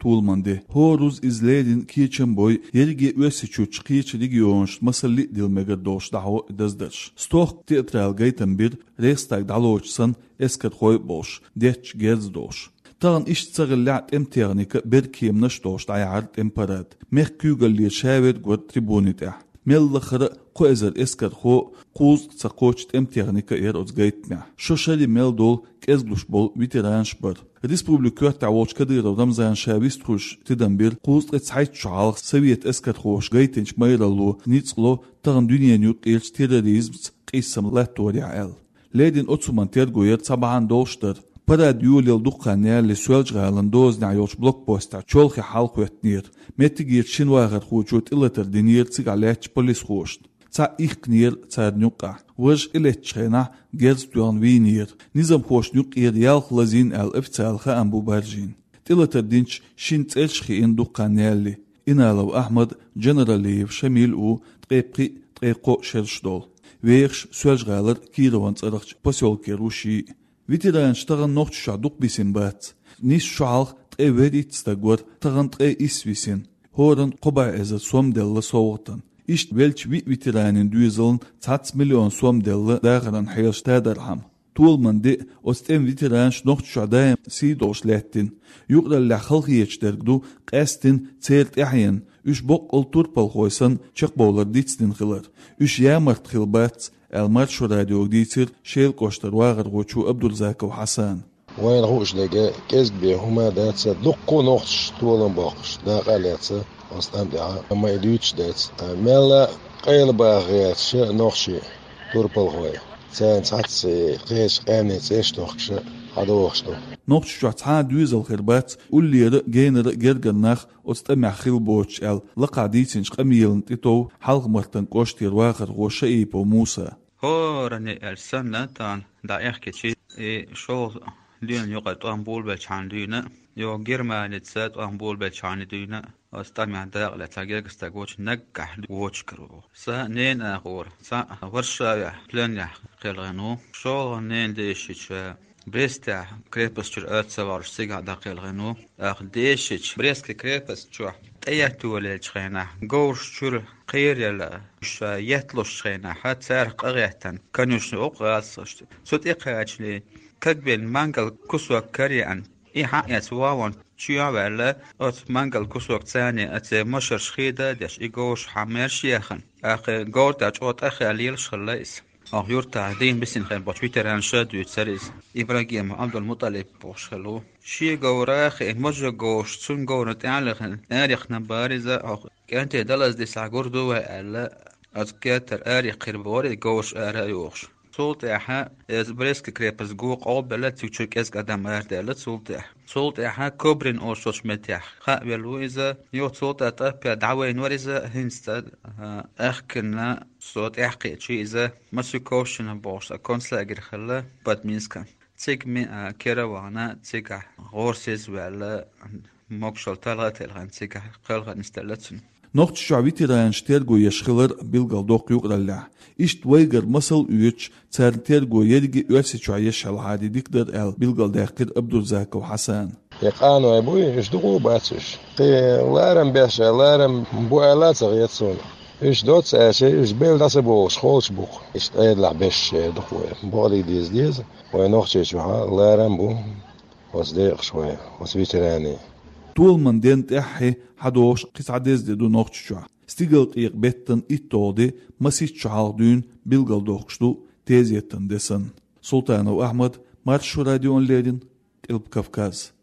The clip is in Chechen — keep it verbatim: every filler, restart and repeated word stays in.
Толаман де. ХӀора руза иза леррина кечам бой, ерриге Оьрсийчуьрчу кхечу регионашна масалли а дилла мегар долуш дӀахьо и даздарш. Стохка театрала гайтам бира, Рейхстаг дӀалоцуш санна, эскархой а болуш, детташ герз а долуш. Тахана иштта ца хиллехь а, тӀеман техника а, беркеманаш а долуш дӀаяьхьира тӀеман парад. Мехкан куьйгаллера ша верг вара трибуни тӀехь. Мел лахара а кхо эзар эскархо а, кхузткъа ца кхоччу тӀеман техника а яра оцу гайтамехь. Шо шаре мел долу, кӀезиглуш болу ветеранаш а бара. Республикан коьртехь волчу Кадыров Рамзана ша вистхуьлуш тидам бира, кхузткъе цхьайтта шо хьалха совет эскархоша гайтинчу майралло ницкъ ло тахана дуьненан юккъерчу терроризмца къийсам латторехь аьлла. Леррина оцу хӀуманна терго яра цхьа бахьана долуш дара. Парад йолаелла дукха хан ялале Соьлжа-ГӀалин дозанехь йолчу блокпостехь чолхе хьалахӀоьттинера. Меттигерчу шина вахархочо тӀелатар динера цигахь лаьттачу полисхошна. Цхьаъ ихкинера царна юккъехь. Важа тӀелеттачу хенахь герз тоьхна вийнера. Низамхошна юккъера ялх лазийна аьлла официалан хаам бу баржийна. ТӀелатар динчу шина цӀераш хиъна дукха хан ялале. Иналов Ахьмад, Джанаралиев Шамил а ву, ткъе пхиъ, ткъе кхоъ шераш долу. Вехаш Соьлжа-ГӀалара Кирован цӀарахчу посёлкера ву шиъ. Ветеранаш тахана Нохчийчохь дукха бисина бац. Нийсса шо хьалха ткъе вуьрхӀитта стаг вара, тахана ткъе исс висина. ХӀоранна кхо бӀе эзар сом делла совгӀатана. Иштта веллачу виъ ветеранийн доьзална цхьацца миллион сом делла дахаран хьелаш тадархьама. Толаман де а, оцу тӀеман ветеранаш Нохчийчохь даим сий долуш лаьттина. Юкъараллехь халахеташ дерг ду къаьсттина церан тӀаьхьенна, уьш боккъал турпалхой санна чекхбовлар дицдина хилар. Уьш ямарта хилла бац, аьлла Маршо радиога дийцира Шелан кӀоштара вахархочо Абдурзаков Хьасана. Вайна хууш дерг кӀезиг бен хӀума дац, дуккха а нохчаша толам боккхуш, дакъа а лаьцна оцу тӀам тӀехь, амма и дуьйцуш дац. Мелла къайлабаха гӀерташ нохчий турпалхой. Царна цхьацца кхечу къаьмнийн цӀераш тохкуш хьадохуш ду. Нохчийчохь цхьа а доьзал хир бац, уллера а, генара а гергара нах оцу тӀамехь хилла боцуш аьлла, лакхахь дийцинчу къамелана тӀетов Хьалха-Мартан кӀоштера вахархо Шаипов Муса. ХӀоранна аьлла санна, тахана дӀаэхкичи, и шолгӀа дуьйна юкъара тӀом болабелчхьана дуьйна, йо Германица тӀом болабелчхьана дуьйна, оцу тӀамехь дакъа лаьцна гергара стаг воцуш наггахь воцуш кара ву. Сан ненан агӀора, цхьаъ Варшавехь пленехь кхелхина ву. ШолгӀа ненан дешича Брестехь крепость чуьра ца вахьаш цигахь дӀакхелхина ву. ТӀаккха дешича Брестский крепость чохь тӀееттавеллачу хенахь, говраш чуьра кхераелла, уьш етталучу хенахь, царах къа гӀеттина, конюшни оккха гӀазкхашца. Цу тӀе кхачале, кагбен мангал кусок караеана, и хьаэца вон чоь а ваьлла, оцу мангал кусок царна оцу машарш хеда а деш, и говраш хьан маьрша яьхна. ТӀаккха говра тӀехь чӀогӀа тӀахаьлла лелаш хилла иза. Оха юртахь дийна бисина хир болчу ветеранаша дуьйцура иза. Ибрагимов Абдул-МутӀалиб бохуш хилла ву. Шен говра а хиъна, мажа говраш цуьнан говрана тӀе а лехна, арахьна бара иза, оха кӀентий далаза дисахь гур ду вай аьлла, оцу кертара арахьа хир бара и говраш ара а йохуш. Цул тӀаьхьа иза Брестский крепость го къобалбелла, цигара кӀезиг адам арадаьлла цул тӀаьхьа. Цул тӀаьхьа Кобрин олучу меттехь хаа велла ву иза, юха цул тӀаьхьа тӀаппе дӀавайна вара иза, хӀинца цӀа, а, аьхкина со тӀаьхьакхиъчи иза, Масюковщина бохуш цхьа концлагерь хилла Бадминскан. Цига ми а кера а вахана, цигахь гӀорасиз а ваьлла, могушалла талха а телхина, цигахь кхелха нисделла цуьнан. Нохчийчохь ветеранаш терго еш хилар билгалдоккху юкъараллехь. Иштта вайгара масал а оьцуш, царна терго ерриге Оьрсийчохь еш хьалхаре дика дара аьлла билгалдаьккхира Абдурзаков Хьасана. И къаной буй, уьш дукха а бац уьш. Кхин ларам беш а, ларам бу аьлла а ца хета суна. Уьш доцца аьлча, уьш белла дӀа ца богӀуш, холчу бу-кх. Иштта Ӏедалехь беш дукха вай. Бакъдерг деза деза, вай Нохчийчохь ларам бу оцу декъашхойн, оцу ветеранийн. Толаман ден тӀаьххье хьадогӀуш кхин цхьа деза де ду Нохчийчохь. Стигалкъекъа беттан итталгӀа де масийтта шо хьалха дуьйна билгалдоккхуш ду тезетан де санна. Султанов Ахьмад, Маршо радиона леррина, Къилба Кавказ.